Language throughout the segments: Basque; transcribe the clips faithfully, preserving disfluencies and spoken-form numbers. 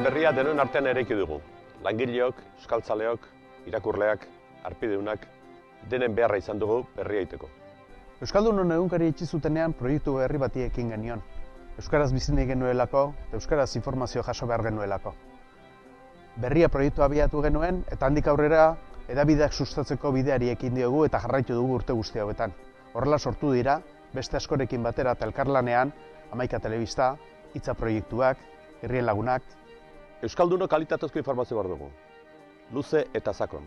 berria denon artean eraiki dugu. Langileok, euskaltzaleok, irakurleak, harpideunak, denen beharra izan dugu berria egiteko. Euskaldunon egunkari itxi zutenean proiektu berri bati ekin genion. Euskaraz bizi nahi genuelako, eta euskaraz informazio jaso behar genuelako. Berria proiektua abiatu genuen, eta handik aurrera hedabideak sustatzeko bideari ekin diogu eta jarraitu dugu urte guzti hauetan. Horrela sortu dira, beste askorekin batera eta elkarlanean, Hamaika Telebista, Hitza proiektuak, Herrien Lagunak. Euskalduno kalitatezko informazio behar dugu. Luze eta sakon.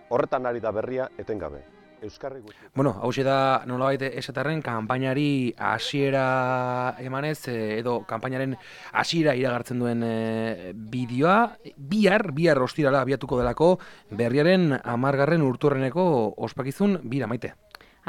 Horretan ari da berria etengabe. Euskarri gutxi. Bueno, hau da nolabait esaterren kanpainari hasiera emanez edo kanpainaren hasiera iragartzen duen e, bideoa bihar, bihar ostirala abiatuko delako berriaren hamargarren urturreneko ospakizun bira Maite.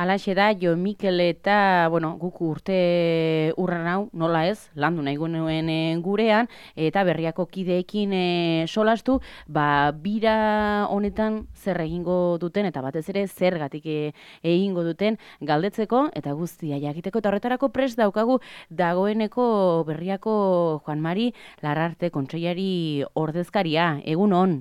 Halaxe da, Jo Mikel eta, bueno, guk urte urran hau, nola ez, landu nahi genuen gurean, eta berriako kideekin e, solastu, ba, bira honetan zer egingo duten, eta batez ere zergatik e, egingo duten galdetzeko, eta guztia jakiteko, eta horretarako prest daukagu dagoeneko berriako Juan Mari Larrarte kontseilari ordezkaria, egun on.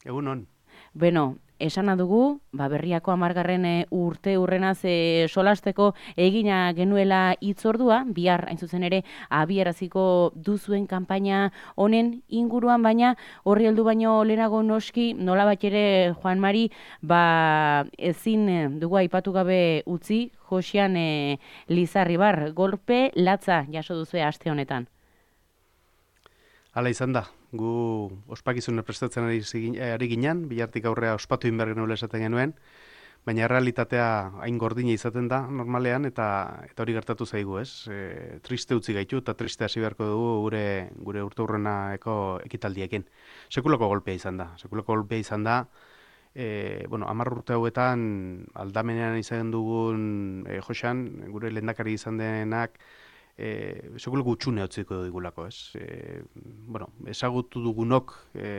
Egun on. Beno, esana dugu, ba, berriako hamargarren urte urrenaz e, solasteko egina genuela hitzordua, bihar hain zuzen ere abiaraziko duzuen kanpaina honen inguruan, baina horri heldu baino lehenago noski, nolabait ere Juan Mari, ba, ezin dugu aipatu gabe utzi, Josean e, Lizarribar, golpe latza jaso duzue aste honetan. Hala izan da, gu ospakizuna prestatzen ari, ari ginen, bihartik aurrea ospatu inber genuela esaten genuen, baina realitatea hain gordina izaten da normalean, eta eta hori gertatu zaigu, ez? E, triste utzi gaitu eta triste hasi beharko dugu gure gure urteurrenako ekitaldiekin. Sekulako golpea izan da, sekulako golpea izan da, e, bueno, hamar urte hauetan aldamenean izan dugun e, Josean, gure lehendakari izan denak, E, Seguro gutxune hotziko digulako, ez? E, bueno, ezagutu dugunok, e,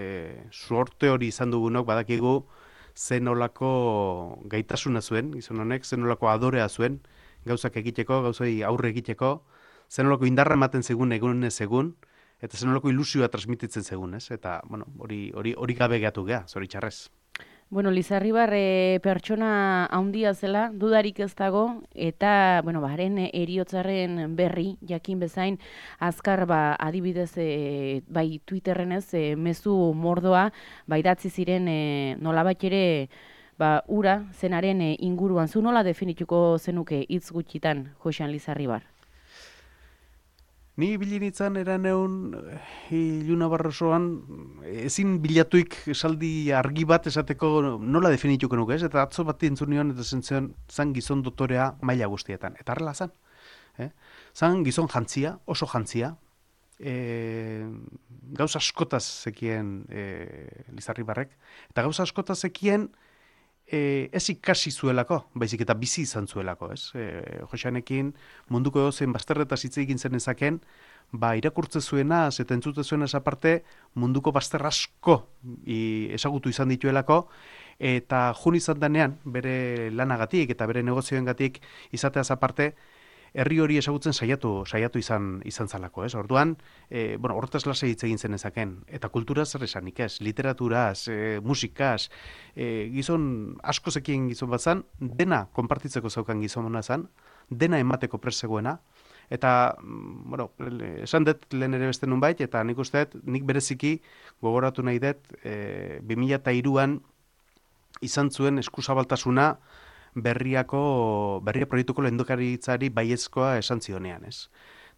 suorte hori izan dugunok, badakigu zen olako gaitasuna zuen, gizon honek, zen olako adorea zuen, gauzak egiteko, gauzai aurre egiteko, zen olako indarra ematen zegun egunez egun, eta zen olako ilusioa transmititzen zegun, ez? Eta, bueno, hori, hori, hori gabe geatu geha, zoritxarrez. Bueno, Lizarribar e, pertsona handia zela, dudarik ez dago, eta, bueno, baren eriotzaren berri, jakin bezain, azkar, ba, adibidez, e, bai Twitterren ez, e, mezu mordoa, bai datzi ziren, e, nolabait ere, ba, ura zenaren e, inguruan. Zu nola definituko zenuke hitz gutxitan, Josean Lizarribar? Ni bilinitzan eran egun Iluna Barrosoan ezin bilatuik esaldi argi bat esateko nola definituko nuke, ez? Eta atzo bat entzun nion eta zentzen zan gizon dotorea maila guztietan. Eta harrela zan. Eh? Zan gizon jantzia, oso jantzia. E, gauz askotaz zekien e, Lizarribarrek. Eta gauz askotaz zekien E, ez ikasi zuelako, baizik eta bizi izan zuelako, ez? E, Joseanekin munduko edozein bazterretaz hitz egin zen ezaken, ba, irakurtze zuena, eta entzute zuena aparte, munduko bazter asko i, ezagutu izan dituelako, eta jun izan denean, bere lanagatik eta bere negozioengatik izateaz aparte, herri hori ezagutzen saiatu saiatu izan izan zalako, ez? Orduan, e, bueno, horretaz lasai hitz egin zen ezaken, eta kulturaz zer esanik ez, literaturaz, e, musikaz, e, gizon asko zekien gizon bat zan, dena konpartitzeko zaukan gizona zan, dena emateko presegoena, eta, bueno, esan dut lehen ere beste nunbait, eta nik uste dut, nik bereziki gogoratu nahi dut, e, bi mila hiruan izan zuen eskuzabaltasuna berriako, berria proiektuko lehendakaritzari baiezkoa esan zionean, ez?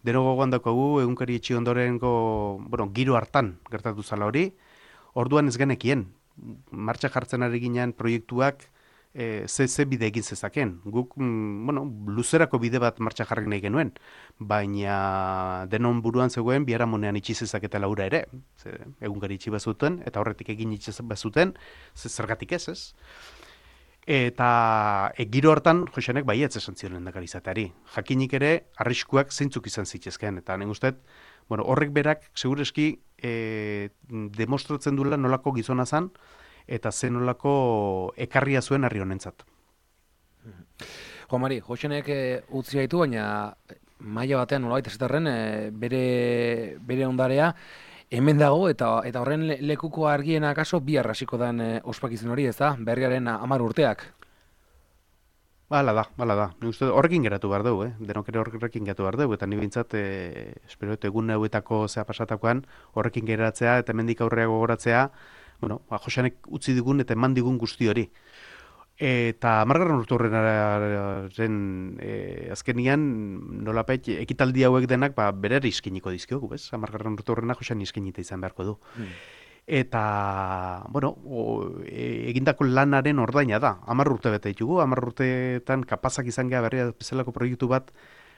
Deno gogoan daukagu, egunkari etxi ondorengo, bueno, giro hartan gertatu zala hori, orduan ez genekien, martxa jartzen ari ginen proiektuak e, ze, ze bide egin zezaken. Guk, mm, bueno, luzerako bide bat martxa jarri nahi genuen, baina denon buruan zegoen biharamonean itxi zezaketela ura ere, ze, egunkari itxi bazuten, eta horretik egin itxi bazuten, ze zergatik ez, ez? Eta e, giro hartan Joseanek baietz esan zion lehendakari izateari. Jakinik ere arriskuak zeintzuk izan zitezkeen, eta nik uste, bueno, horrek berak segureski e, demostratzen duela nolako gizona zan eta zen nolako ekarria zuen herri honentzat. Juan Mari, Joseanek e, utzi gaitu, baina maila batean nolabait esaterren e, bere bere ondarea hemen dago, eta eta horren le, lekuko argiena akaso bihar hasiko den e, ospakizun hori, ez da? Berriaren hamar urteak. Hala da, hala da. Ni uste horrekin geratu behar dugu, eh? Denok ere horrekin geratu behar dugu, eta ni bintzat, e, espero dut egun hauetako zea pasatakoan, horrekin geratzea eta hemendik aurrera gogoratzea, bueno, ba, Joseanek utzi digun eta eman digun guzti hori. Eta hamargarren urturrenaren e, azkenian nolapait ekitaldi hauek denak ba, berera iskiniko dizkiogu, bez? Hamargarren urturrena Josean iskinita izan beharko du. Hmm. Eta, bueno, o, e, egindako lanaren ordaina da. Hamar urte bete ditugu, hamar urteetan kapazak izan geha berria bezalako proiektu bat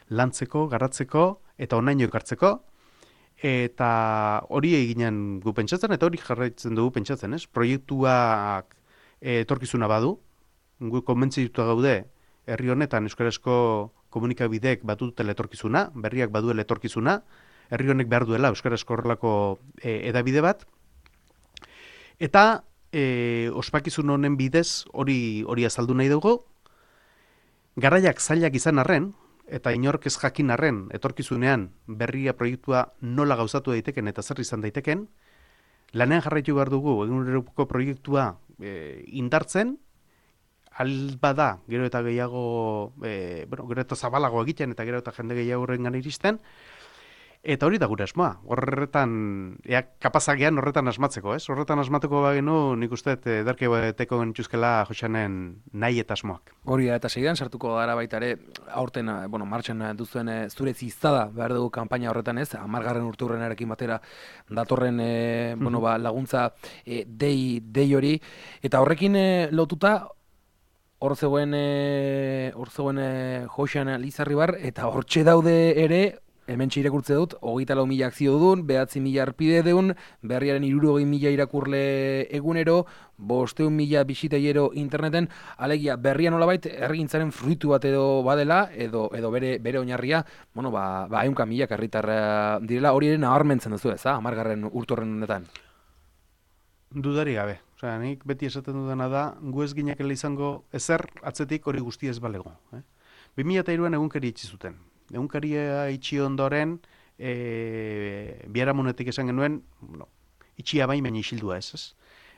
lantzeko, garatzeko eta onaino ekartzeko. Eta hori eginen gu pentsatzen, eta hori jarraitzen dugu pentsatzen, ez? Proiektuak e, etorkizuna badu, gu konbentzituta gaude, herri honetan euskarazko komunikabideek batu dutela etorkizuna, berriak baduela etorkizuna, herri honek behar duela euskarazko horrelako e, edabide bat, eta e, ospakizun honen bidez hori hori azaldu nahi dugu, garaiak zailak izan arren, eta inork ez jakin arren, etorkizunean berria proiektua nola gauzatu daiteken eta zer izan daiteken, lanean jarraitu behar dugu, eguneroko proiektua e, indartzen, albada, gero eta gehiago, e, bueno, gero eta zabalago egiten, eta gero eta jende gehiago horrengan iristen, eta hori da gure asmoa, horretan, ea kapazagean horretan asmatzeko, ez? Horretan asmateko bagenu, nik uste, ederke beteko genituzkela Joseanen nahi eta asmoak. Hori da, eta segidan sartuko gara baita ere, aurten, bueno, martxan duzuen zure ziztada behar dugu kanpaina horretan, ez? Hamargarren urturrenarekin batera datorren e, bueno, ba, laguntza e, dei, dei hori, eta horrekin e, lotuta, hor zegoen, e, hor zegoen e, Josean Lizarribar, eta hortxe daude ere, hemen irakurtze dut, hogeita lau mila akzio dun, behatzi mila arpide deun, berriaren hirurogei mila irakurle egunero, bosteun mila bisitaiero interneten, alegia berria nolabait herrigintzaren fruitu bat edo badela, edo edo bere bere oinarria, bueno, ba, ba ehunka mila herritar direla, hori ere nabarmentzen duzu, ez da, hamargarren urturren honetan. Dudari gabe. Osea, nik beti esaten dudana da, gu ez ginekela izango ezer atzetik hori guztia ez balego. Eh? bi mila hiruan egunkari itxi zuten. Egunkaria itxi ondoren, e, biharamunetik esan genuen, no, itxia bain baina isildua ez, ez?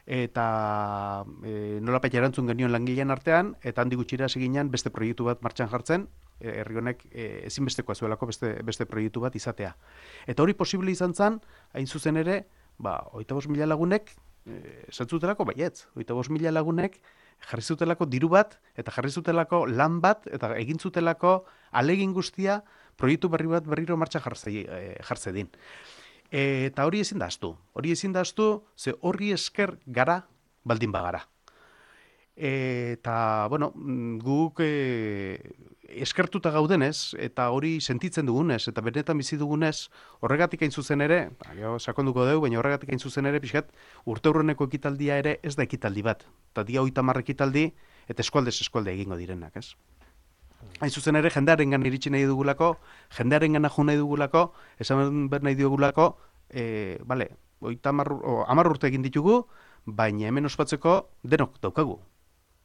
Eta e, nolapait erantzun genion langilean artean, eta handi gutxira seginan beste proiektu bat martxan jartzen, e, herri honek e, ezinbestekoa zuelako beste, beste proiektu bat izatea. Eta hori posible izan zen, hain zuzen ere, ba, hogeita bost mila lagunek, esan zutelako baietz, hogeita bost mila lagunek, jarri zutelako diru bat, eta jarri zutelako lan bat, eta egin zutelako alegin guztia proiektu berri bat berriro martxa jartze, e, jartze din. E, eta hori ezin da astu. Hori ezin da astu, ze horri esker gara baldin bagara. E, eta, bueno, guk e, eskertuta gaudenez, eta hori sentitzen dugunez, eta benetan bizi dugunez, horregatik hain zuzen ere, ba, sakonduko dugu, baina horregatik hain zuzen ere, pixkat, urte hurreneko ekitaldia ere ez da ekitaldi bat. Eta dia hogeita hamar ekitaldi, eta eskualdez eskualde egingo direnak, ez? Hain zuzen ere, jendearengan iritsi nahi dugulako, jendearengan jo nahi dugulako, esan behar nahi dugulako, e, bale, hogeita hamar urte egin ditugu, baina hemen ospatzeko denok daukagu.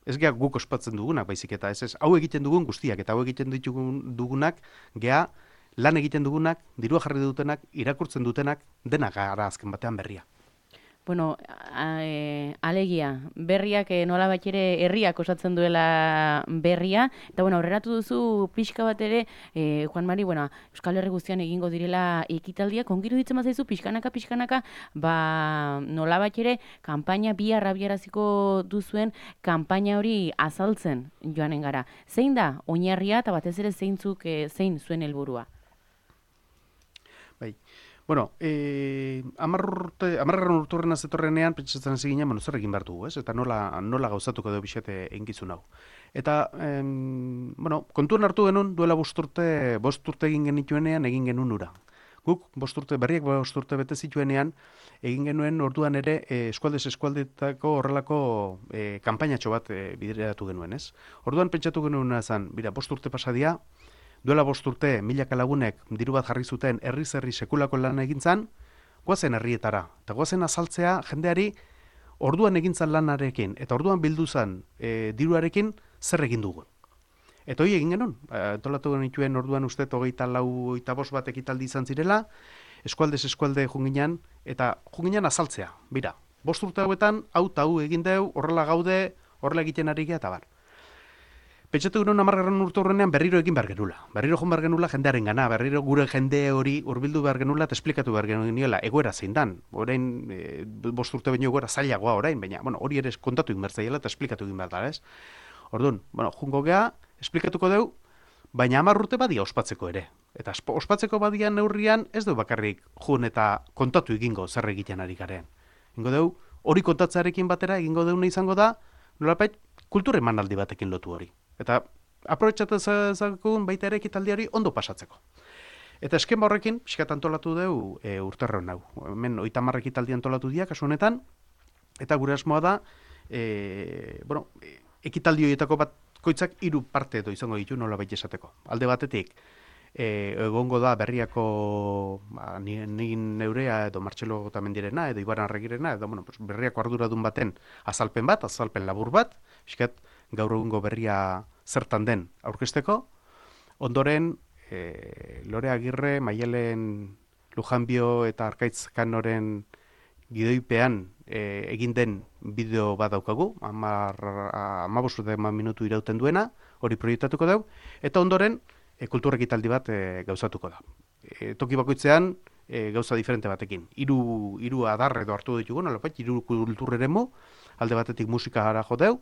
Ez geha guk ospatzen dugunak, baizik eta ez ez, hau egiten dugun guztiak, eta hau egiten ditugun dugunak, geha lan egiten dugunak, dirua jarri dutenak, irakurtzen dutenak, denak gara azken batean berria. Bueno, a, e, alegia, berriak e, nola bat ere herriak osatzen duela berria, eta bueno, aurreratu duzu pixka bat ere, e, Juan Mari, bueno, Euskal Herri guztian egingo direla ekitaldiak, ongiru ditzen mazaizu, pixkanaka, pixkanaka, ba, nola bat ere, kanpaina bihar abiaraziko duzuen, kanpaina hori azaltzen joanen gara. Zein da, oinarria, eta batez ere zeintzuk, e, zein zuen helburua? Bai. Bueno, eh, amargarren urturren azetorrenean, pentsatzen hasi ginen, bueno, zer egin behar dugu, ez? Eta nola, nola gauzatuko edo bixete eginkizun hau. Eta, em, bueno, kontuan hartu genuen, duela bost urte, bost urte egin genituenean, egin genuen ura. Guk, bost urte, berriak bost urte bete zituenean, egin genuen orduan ere, eh, eskualdez eskualdetako horrelako eh, kanpainatxo bat eh, bideratu genuen, ez? Orduan pentsatu genuen zen, bira, bost urte pasadia, duela bost urte, milaka lagunek diru bat jarri zuten herriz herri sekulako lan egintzan, goazen herrietara. Eta goazen azaltzea jendeari orduan egintzan lanarekin, eta orduan bildu zen e, diruarekin zer egin dugun. Eta hori egin genuen, entolatu genituen orduan uste hogeita lau, hogeita bost bat ekitaldi izan zirela, eskualdez eskualde junginan, eta junginan azaltzea, bira, bost urte hauetan, hau eta hau egin deu, horrela gaude, horrela egiten ari gea, eta bar. Pentsatu gure hamargarren urte horrenean berriro egin behar genula. Berriro joan behar genula jendearen gana, berriro gure jende hori hurbildu behar genula eta esplikatu behar genuela egoera zein dan. Orain, e, bost urte baino egoera zailagoa orain, baina bueno, hori ere kontatu egin behar zaiela eta esplikatu egin behar da, ez? Orduan, bueno, jungo gea, esplikatuko deu, baina hamar urte badia ospatzeko ere. Eta ospatzeko badian neurrian ez du bakarrik jun eta kontatu egingo zer egiten ari garen. Egingo deu, hori kontatzearekin batera egingo deuna izango da, nolapait, kultur emanaldi batekin lotu hori. Eta aprobetxatu ezagun baita ere ekitaldiari ondo pasatzeko. Eta eskema horrekin, pixkat antolatu dugu e, urterron hau. Hemen oita hamar ekitaldi antolatu dira, kasu honetan, eta gure asmoa da, e, bueno, ekitaldi horietako bat koitzak hiru parte edo izango ditu nola baita esateko. Alde batetik, e, egongo da berriako ba, nigin neurea edo Martxelo Otamendirena edo Ibaran Arregirena, edo bueno, pues, berriako arduradun baten azalpen bat, azalpen labur bat, pixkat gaur egungo berria zertan den aurkezteko. Ondoren, e, Lore Agirre, Maialen Lujanbio eta Arkaitz Kanoren gidoipean e, egin den bideo bat daukagu, hamabost minutu irauten duena, hori proiektatuko dugu, eta ondoren e, kultur ekitaldi bat e, gauzatuko da. E, toki bakoitzean e, gauza diferente batekin. Hiru hiru adar edo hartu ditugu, nolapait, hiru kultur eremu, alde batetik musika gara jo deu,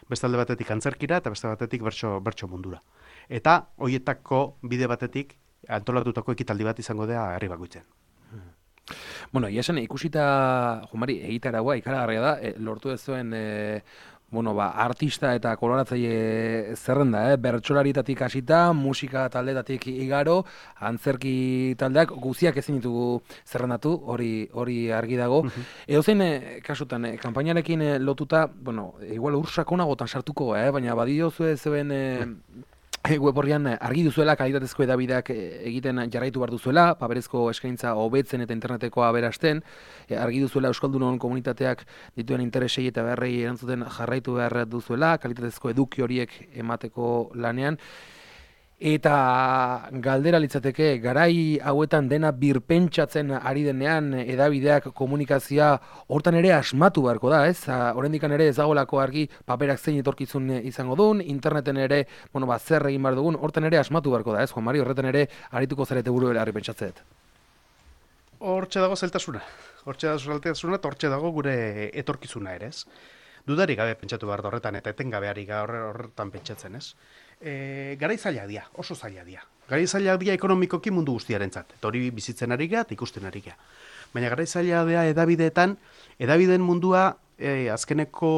beste alde batetik antzerkira eta beste batetik bertso, bertso mundura. Eta horietako bide batetik antolatutako ekitaldi bat izango da herri bakoitzen. Bueno, ia esan ikusita, Jumari, egitaragoa ikaragarria da, e, lortu ez zuen e, bueno, ba, artista eta koloratzaile zerrenda, eh? Bertsolarietatik hasita, musika taldetatik igaro, antzerki taldeak guziak ezin ditugu zerrendatu, hori hori argi dago. Uh-huh. Edozein eh, kasutan, eh, kanpainarekin eh, lotuta, bueno, igual ursakonagotan sartuko, eh? Baina badio zuen zuen eh, web horrian argi duzuela, kalitatezko edabideak egiten jarraitu behar duzuela, paperezko eskaintza hobetzen eta interneteko aberasten, argi duzuela Euskaldunon komunitateak dituen interesei eta beharrei erantzuten jarraitu behar duzuela, kalitatezko eduki horiek emateko lanean, eta galdera litzateke, garai hauetan dena birpentsatzen ari denean edabideak komunikazioa hortan ere asmatu beharko da, ez? Oraindikan ere ez dagoelako argi paperak zein etorkizun izango duen, interneten ere, bueno, ba, zer egin behar dugun, hortan ere asmatu beharko da, ez? Juan Mari, horretan ere arituko zarete buru belarri pentsatzeet. Hortxe dago zeltasuna. Hortxe dago zeltasuna eta hortxe dago gure etorkizuna ere, ez? Dudarik gabe pentsatu behar da horretan eta etengabeari horretan pentsatzen, ez? E, garai zailak dira, oso zailak dira. Garai zailak dira ekonomikoki mundu guztiarentzat. Eta hori bizitzen ari gara eta ikusten ari gara. Baina garai zailak dira edabideetan, edabideen mundua e, azkeneko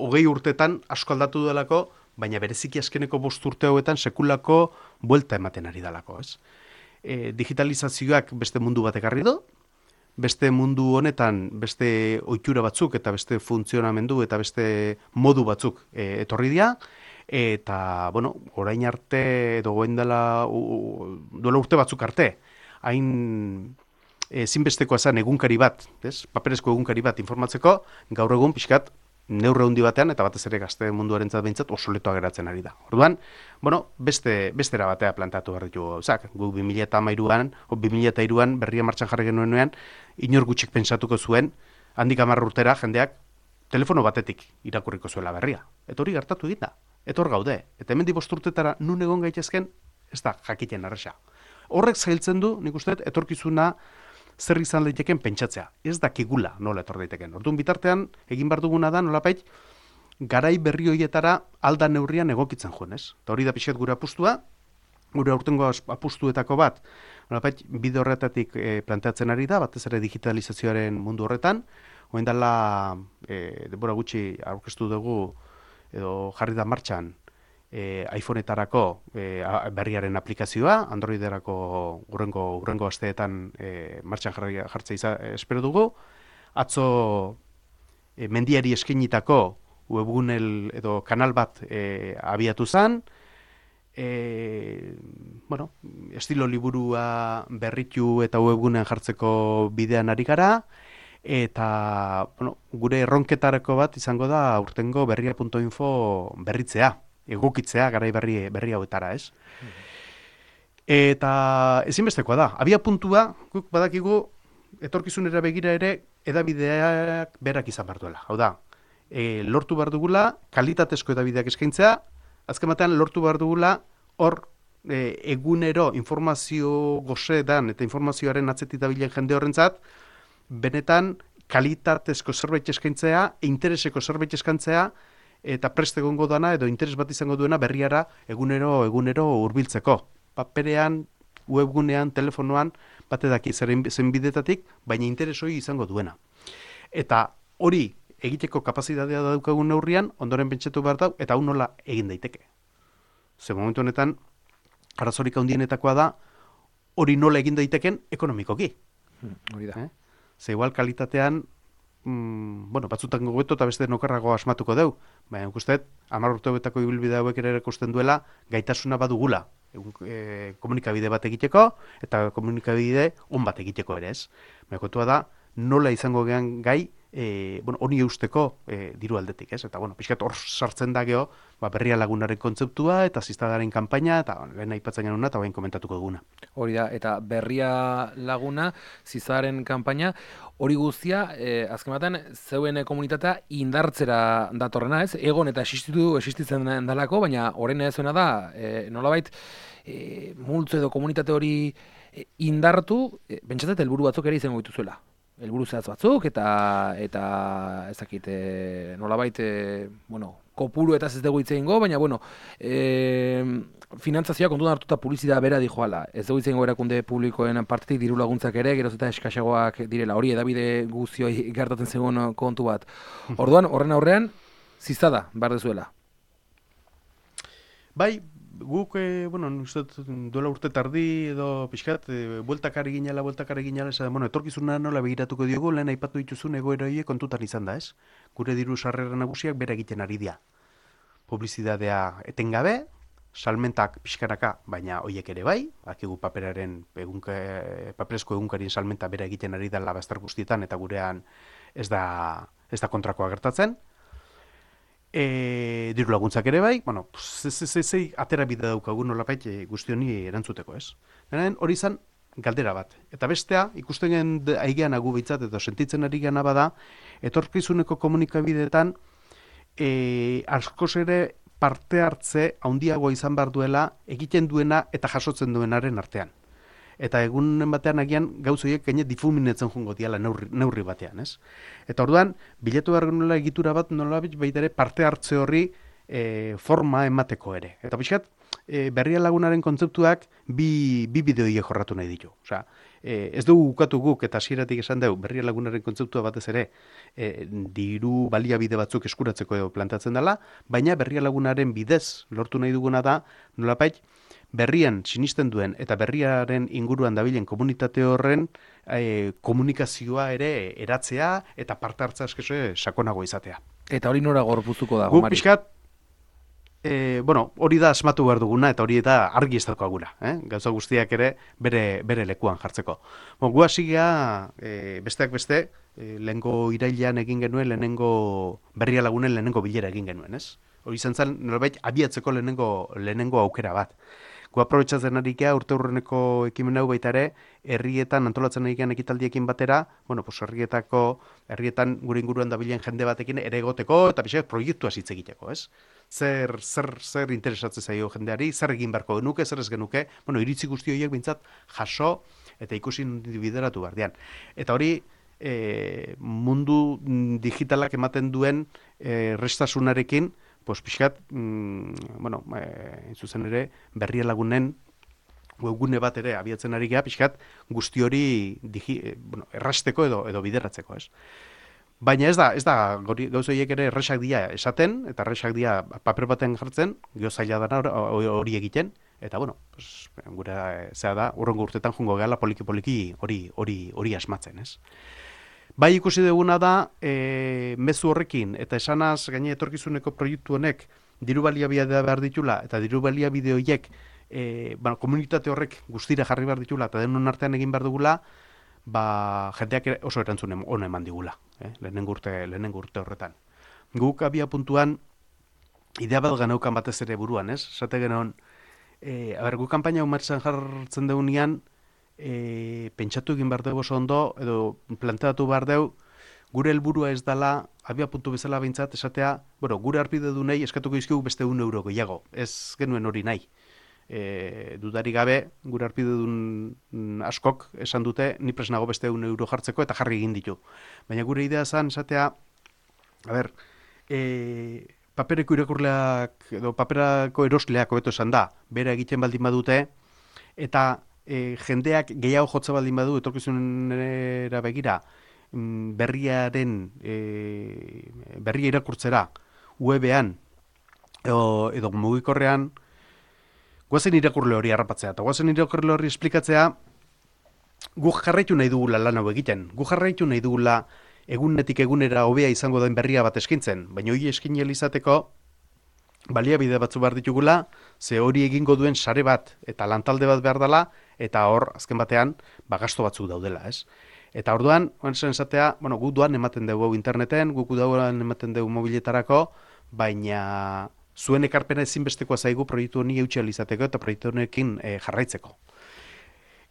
hogei urtetan asko aldatu delako, baina bereziki azkeneko bost urte hauetan sekulako buelta ematen ari delako, ez? E, digitalizazioak beste mundu bat ekarri du, beste mundu honetan beste ohitura batzuk eta beste funtzionamendu eta beste modu batzuk e, etorri dira, eta, bueno, orain arte, edo goen dela, duela urte batzuk arte, hain ezinbestekoa zen egunkari bat, ez? Paperezko egunkari bat informatzeko, gaur egun pixkat neurre handi batean, eta batez ere gazte munduarentzat behintzat oso letoa geratzen ari da. Orduan, bueno, beste, bestera batea plantatu behar ditugu gauzak. Gu bi mila hamairuan, o bi mila hiruan berria martxan jarri genuenean, inor gutxik pentsatuko zuen, handik hamar urtera jendeak telefono batetik irakurriko zuela berria. Eta hori gertatu egin da. Eta hor gaude. Eta hemendik bost urtetara nun egon gaitezken, ez da jakiten arresa. Horrek zailtzen du, nik uste, etorkizuna zer izan daiteken pentsatzea. Ez dakigula nola etor daiteken. Orduan bitartean, egin behar duguna da, nolapait, garai berri horietara alda neurrian egokitzen joan, ez? Eta hori da pixet gure apustua, gure aurtengo apustuetako bat, nolapait, bide horretatik e, planteatzen ari da, batez ere digitalizazioaren mundu horretan, oen dela, e, denbora gutxi aurkeztu dugu, edo jarri da martxan e, iPhone-etarako e, berriaren aplikazioa, Androiderako urrengo, urrengo asteetan e, martxan jarri, jartzea izan, espero dugu. Atzo e, mendiari eskenitako webgunel edo kanal bat e, abiatu zen, e, bueno, estilo liburua berritu eta webgunean jartzeko bidean ari gara, eta bueno, gure erronketarako bat izango da aurtengo berria puntu info berritzea, egokitzea garai berri, berri hauetara, ez? Mm-hmm. Eta ezinbestekoa da, abia puntua, guk badakigu, etorkizunera begira ere, edabideak berak izan behar duela. Hau da, e, lortu behar dugula, kalitatezko edabideak eskaintzea, azken batean lortu behar dugula, hor e, egunero informazio gozeetan eta informazioaren atzetik dabilen jende horrentzat, benetan kalitatezko zerbait eskaintzea, intereseko zerbait eskaintzea, eta prest egongo dana edo interes bat izango duena berriara egunero egunero hurbiltzeko. Paperean, webgunean, telefonoan, bate daki zen bidetatik, baina interes hori izango duena. Eta hori egiteko kapazitatea daukagun neurrian, ondoren pentsatu behar dau, eta hau nola egin daiteke. Ze momentu honetan, arazorik handienetakoa da, hori nola egin daiteken ekonomikoki. Hmm, hori da. Eh? Ze igual kalitatean, mm, bueno, batzutan gobeto eta beste nokarrago asmatuko deu, baina ikustet, hamar urte hauetako ibilbide hauek ere erakusten duela, gaitasuna badugula, e, komunikabide bat egiteko, eta komunikabide on bat egiteko ere ez. Baina kontua da, nola izango gehan gai, E, bueno, honi eusteko e, diru aldetik, ez? Eta, bueno, pixkat hor sartzen da geho, ba, berria lagunaren kontzeptua, eta ziztadaren kanpaina, eta bueno, lehen aipatzen genuna, eta bain komentatuko duguna. Hori da, eta berria laguna, ziztadaren kanpaina, hori guztia, eh, azken batean, zeuen komunitatea indartzera datorrena, ez? Egon eta existitu, existitzen dalako, baina horren ezuena da, e, nolabait, e, multzo edo komunitate hori e, indartu, e, bentsatzat helburu batzuk ere izango dituzuela. Helburu zehatz batzuk eta eta ez dakit e, nolabait e, bueno, kopuru eta ez dugu hitz egingo, baina bueno, e, finantzazioa kontutan hartuta publizitatea bera dijoala. Ez dugu hitz egingo erakunde publikoen partetik diru laguntzak ere geroz eta eskasagoak direla. Hori edabide guztioi gertatzen zegoen kontu bat. Orduan, horren aurrean ziztada behar dezuela. Bai, guk, e, bueno, uste duela urte tardi edo pixkat, e, bueltakari ginela, bueltakari ginela, esan, bueno, etorkizuna nola begiratuko diogu, lehen aipatu dituzun egoera horiek kontutan izan da, ez? Gure diru sarrera nagusiak bera egiten ari dira. Publizidadea etengabe, salmentak pixkanaka, baina hoiek ere bai, akigu paperaren, egunka, paperezko egunkarien salmenta bera egiten ari da labazter guztietan, eta gurean ez da, ez da kontrakoa gertatzen. E, diru laguntzak ere bai, bueno, zei atera bide daukagun nolapait e, guzti honi erantzuteko, ez? Denen hori izan galdera bat. Eta bestea, ikusten gen aigean agu behitzat, edo sentitzen ari gana bada, etorkizuneko komunikabideetan e, askoz ere parte hartze handiagoa izan behar duela egiten duena eta jasotzen duenaren artean. Eta egunen batean agian gauzoiek gaine difuminetzen jongo diala neurri, neurri batean, ez? Eta orduan, biletu behar nola egitura bat nola baita ere parte hartze horri e, forma emateko ere. Eta pixkat, e, berria lagunaren kontzeptuak bi, bi bideoiek jorratu nahi ditu. Osea, e, ez dugu ukatu guk eta hasieratik esan dugu berria lagunaren kontzeptua batez ere e, diru baliabide batzuk eskuratzeko edo plantatzen dela, baina berria lagunaren bidez lortu nahi duguna da nolapait, berrian sinisten duen eta berriaren inguruan dabilen komunitate horren e, komunikazioa ere eratzea eta parte hartza eskesoe sakonago izatea. Eta hori nora gorpuzuko da, Guk pixkat, e, bueno, hori da asmatu behar duguna eta hori eta argi ez daukagula, eh? Gauza guztiak ere bere, bere lekuan jartzeko. Bon, gu hasi gea, e, besteak beste, e, lehengo irailean egin genuen, lehenengo berria lagunen lehenengo bilera egin genuen, ez? Hori izan zen, nolabait, abiatzeko lehenengo, lehenengo aukera bat. Gu aprobetxatzen ari gea, urte hurreneko ekimen hau baita ere, herrietan antolatzen ari gean ekitaldiekin batera, bueno, pues herrietako, herrietan gure inguruan dabilen jende batekin ere egoteko, eta pixak proiektua hitz egiteko, ez? Zer, zer, zer interesatzen zaio jendeari, zer egin beharko genuke, zer ez genuke, bueno, iritzi guzti horiek bintzat jaso eta ikusi bideratu bardean. Eta hori, e, mundu digitalak ematen duen e, restasunarekin, pues pixkat, mm, bueno, e, zuzen ere, berria lagunen webgune bat ere abiatzen ari geha, pixkat, guzti hori digi, e, bueno, errasteko edo edo bideratzeko, ez? Baina ez da, ez da, gauza horiek ere erresak dira esaten, eta erresak dira paper baten jartzen, geho zaila dana hori egiten, eta bueno, pues, gure zea da, urrengo urtetan jungo gehala poliki-poliki hori hori hori asmatzen, ez? Bai ikusi duguna da, e, mezu horrekin, eta esanaz gaine etorkizuneko proiektu honek diru baliabidea behar ditula, eta diru baliabide horiek e, bueno, komunitate horrek guztira jarri behar ditula, eta denon artean egin behar dugula, ba, jendeak oso erantzun ona eman digula, eh? lehenengo urte, lehenengo urte horretan. Guk abia puntuan, idea bat geneukan batez ere buruan, ez? Esate genuen, E, aber, gu kanpaina umartzen jartzen deunean, e, pentsatu egin behar dugu oso ondo, edo planteatu behar dugu, gure helburua ez dela, abia puntu bezala behintzat, esatea, bueno, gure arpide du nahi, eskatuko izkigu beste un euro gehiago, ez genuen hori nahi. E, dudari gabe, gure arpide dun askok esan dute, ni presnago beste un euro jartzeko eta jarri egin ditu. Baina gure idea zen, esatea, a ber, e, papereko irakurleak, edo paperako erosleak hobeto esan da, bera egiten baldin badute, eta e, jendeak gehiago jotza baldin badu, etorkizunera begira, berriaren e, berria irakurtzera webean edo, edo mugikorrean guazen irakurle hori harrapatzea eta guazen irakurle hori esplikatzea guk jarraitu nahi dugula lan hau egiten, guk jarraitu nahi dugula egunetik egunera hobea izango den berria bat eskintzen, baina hori eskin izateko baliabide batzu behar ditugula, ze hori egingo duen sare bat eta lantalde bat behar dela, eta hor azken batean ba, gasto batzuk daudela, ez? Eta orduan, oantzen esatea, bueno, guk duan ematen dugu interneten, guk duan ematen dugu mobiletarako, baina zuen ekarpena ezinbestekoa zaigu proiektu honi eutxeal izateko eta proiektu honekin e, jarraitzeko.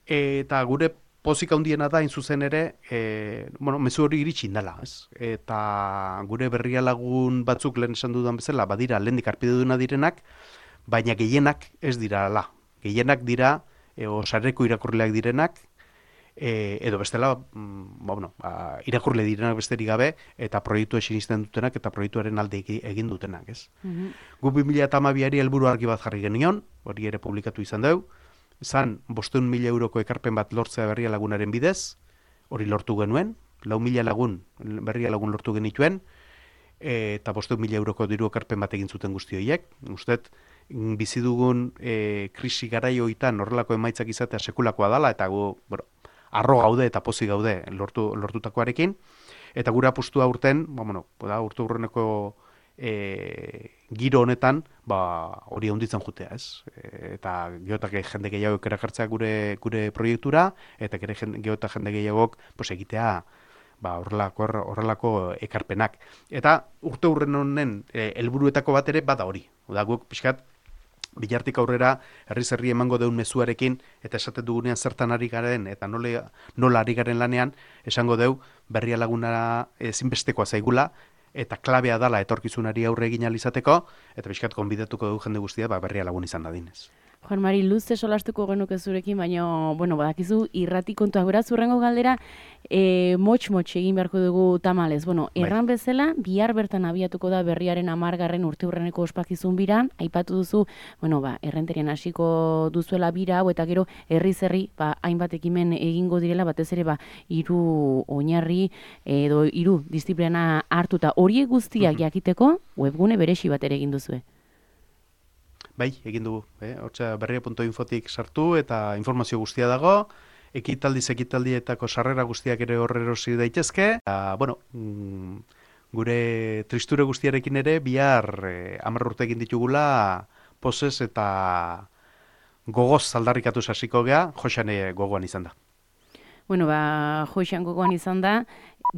Eta gure pozik handiena da, zuzen ere, e, bueno, mezu hori iritsi indala, ez? Eta gure berria lagun batzuk lehen esan dudan bezala, badira, lehendik arpide duna direnak, baina gehienak ez dira ala. Gehienak dira, e, osareko irakurleak direnak, E, edo bestela, mm, ba, bueno, ba, irakurle direnak besterik gabe, eta proiektu esinisten dutenak, eta proiektuaren alde egin dutenak, ez? Mm-hmm. Gu bi mila hamabiari helburu argi bat jarri genion, hori ere publikatu izan dugu, zan, bosteun mila euroko ekarpen bat lortzea berria lagunaren bidez, hori lortu genuen, lau mila lagun, berria lagun lortu genituen, e, eta bosteun mila euroko diru ekarpen bat egin zuten guzti horiek. Ustet, bizi dugun e, krisi garaioitan horrelako emaitzak izatea sekulakoa dala, eta gu, bueno, arro gaude eta pozik gaude lortu, lortutakoarekin, eta gure apustua urten, ba, bueno, da, urte urreneko e, giro honetan, ba, hori handitzen jutea, ez? E, eta geotak jende gehiagok erakartzea gure, gure proiektura, eta geotak jende gehiagok pues, egitea ba, horrelako, horrelako ekarpenak. Eta urte urren honen e, helburuetako bat ere bada hori. Oda, guk pixkat, bilartik aurrera herriz herri emango deun mezuarekin eta esaten dugunean zertan ari garen eta nola, nola ari garen lanean esango deu berria laguna ezinbestekoa zaigula eta klabea dala etorkizunari aurre egin alizateko eta pixkat konbidatuko dugu jende guztia ba, berria lagun izan dadinez. Juan Mari, luze solastuko genuke zurekin, baina, bueno, badakizu, irrati kontuak beraz, urrengo galdera, e, motx-motx egin beharko dugu tamalez. Bueno, erran bai. Bezala, bihar bertan abiatuko da berriaren amargarren urte urreneko ospakizun bira, aipatu duzu, bueno, ba, errenterien hasiko duzuela bira, hau eta gero, herri-zerri, ba, hainbat ekimen egingo direla, batez ere, ba, hiru oinarri, edo hiru disiplina hartuta, horiek guztiak jakiteko, webgune beresi bat ere egin duzue. Bai, egin dugu. Eh? Hortza berria puntu infotik sartu eta informazio guztia dago. Ekitaldiz ekitaldietako sarrera guztiak ere horre erosi daitezke. Eta, bueno, mm, gure tristure guztiarekin ere bihar eh, hamar urte egin ditugula pozez eta gogoz aldarrikatu hasiko gea, Joxane gogoan izan da. Bueno, ba, Joxan gogoan izan da,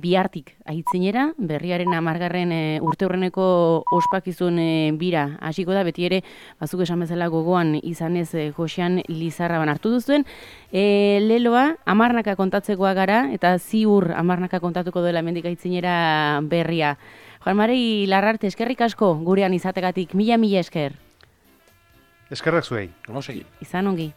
bihartik aitzinera, berriaren amargarren e, urte urreneko ospakizun e, bira hasiko da, beti ere, bazuk esan bezala gogoan izanez e, Joxan Lizarraban hartu duzuen. E, leloa, amarnaka kontatzekoa gara, eta ziur amarnaka kontatuko dela hemendik aitzinera berria. Juan Mari Larrarte, eskerrik asko gurean izategatik, mila mila esker. Eskerrak zuei. Ondo segi. Izan ongi.